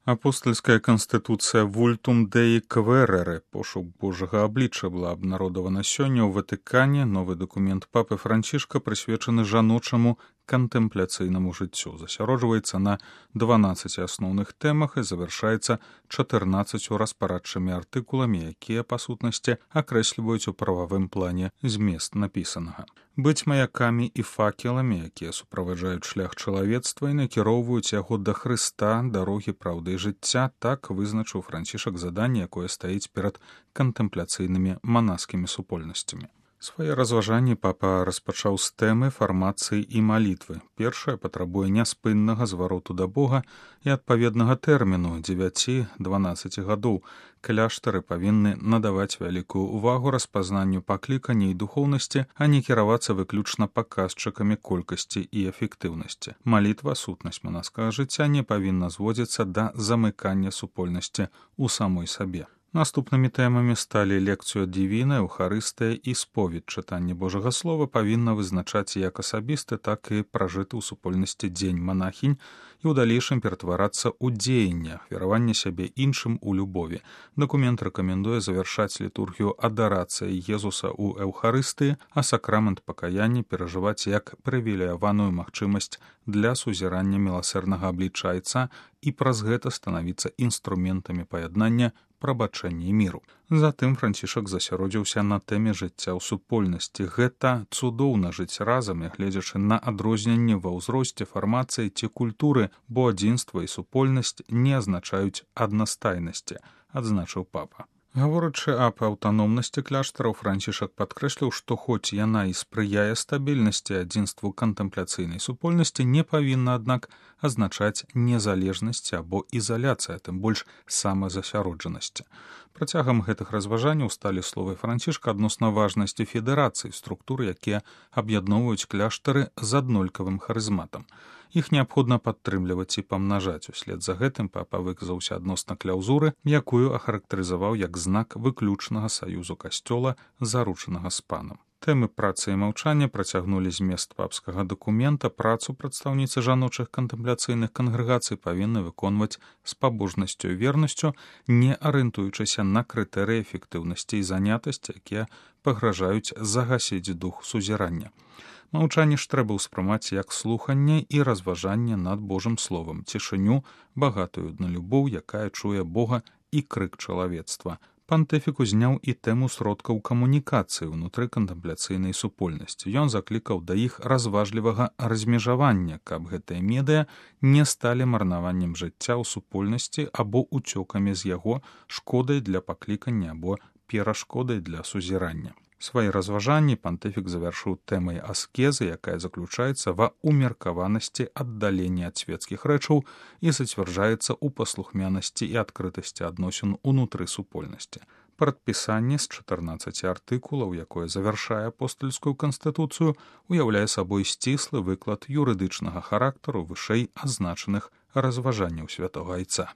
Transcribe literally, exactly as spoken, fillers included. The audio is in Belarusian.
Апостольская канстытуцыя Vultum Dei Quaerere, пошук Божага аблічча, была абнародавана сёння ў Ватыкане. Новы дакумент папы Францішка прысвечаны жаночаму кантэмпляцыйнаму жыццю. Засяроджваецца на дванаццаці асноўных тэмах і завяршаецца чатырнаццаццю распарадчымі артыкуламі, якія, па сутнасці, акрэсліваюць у прававым плане змест напісанага. Быць маякамі і факеламі, якія суправаджаюць шлях чалавецтва і накіроўваюць яго да Хрыста, дарогі праўды і жыцця, так вызначыў Францішак заданне, якое стаіць перад кантэмпляцыйнымі манаскімі супольнасцямі. Свае разважанні папа распачаў з тэмы фармацыі і малітвы. Першая патрабуе няспыннага звароту да Бога і адпаведнага тэрміну дзевяці-дванаццаці гадоў. Кляштары павінны надаваць вялікую ўвагу распазнанню паклікання і духоўнасці, а не кіравацца выключна паказчыкамі колькасці і эфектыўнасці. Малітва, сутнасць манаскага жыцця, не павінна зводзіцца да замыкання супольнасці ў самой сабе. Наступнымі тэмамі сталі лекцыю дівіна, Еўхарыстыя і споведь. Чытанне Божага Слова павінна вызначаць як асабісты, так і пражыты ў супольнасці дзень манахінь і ў далейшым ператварацца ў дзеянне, ахвяраванне сябе іншым у любові. Дакумент рэкамендуе завяршаць літургію адарацыяй Езуса ў Еўхарыстыі, а сакрамент пакаяння перажываць як прывілеяваную магчымасць для сузірання міласэрнага аблічча Айца і праз гэта станавіцца інструментамі паяднання, прабачэння і міру. Затым Францішак засяродзіўся на тэме жыцця ў супольнасці. Гэта цудоўна жыць разам, нягледзячы на адрозненні ва ўзросце, фармацыі ці культуры, бо адзінства і супольнасць не азначаюць аднастайнасці, адзначыў папа. Гаворачы аб аўтаномнасці кляштараў, Францішак падкрэсліў, што хоць яна і спрыяе стабільнасці адзінству кантэмпляцыйнай супольнасці, не павінна, аднак, азначаць незалежнасці або ізаляцыя, тым больш самазасяроджанасці. Працягам гэтых разважанняў сталі словы Францішка адносна важнасці федэрацыі, структуры, якія аб'ядноўваюць кляштары з аднолькавым харызматам. Іх неабходна падтрымліваць і памнажаць. Услед за гэтым папа выказаўся адносна кляўзуры, якую ахарактарызаваў як знак выключнага саюзу касцёла, заручанага з панам. Тэмы працы і маўчання працягнулі змест папскага дакумента. Працу прадстаўніцы жаночых кантэмпляцыйных кангрэгацый павінны выконваць з пабожнасцю і вернасцю, не арыентуючыся на крытэрыі эфектыўнасці і занятасці, якія пагражаюць загасіць дух сузірання. Маўчанне ж трэба ўспрымаць як слуханне і разважанне над Божым словам, цішыню, багатую на любоў, якая чуе Бога, і крык чалавецтва. Пантыфік узняў і тэму сродкаў камунікацыі ўнутры кантэмпляцыйнай супольнасці. Ён заклікаў да іх разважлівага размежавання, каб гэтыя медыя не сталі марнаваннем жыцця ў супольнасці або уцёкамі з яго, шкодай для паклікання або перашкодай для сузірання. Свае разважанні пантыфік завяршыў тэмай аскезы, якая заключаецца ва ўмеркаванасці аддалення ад свецкіх рэчаў і зацвярджаецца ў паслухмянасці і адкрытасці адносін унутры супольнасці. Прадпісанне з чатырнаццаці артыкулаў, якое завяршае апостольскую канстытуцыю, уяўляе сабой сціслы выклад юрыдычнага характару вышэй азначаных разважанняў святога Айца.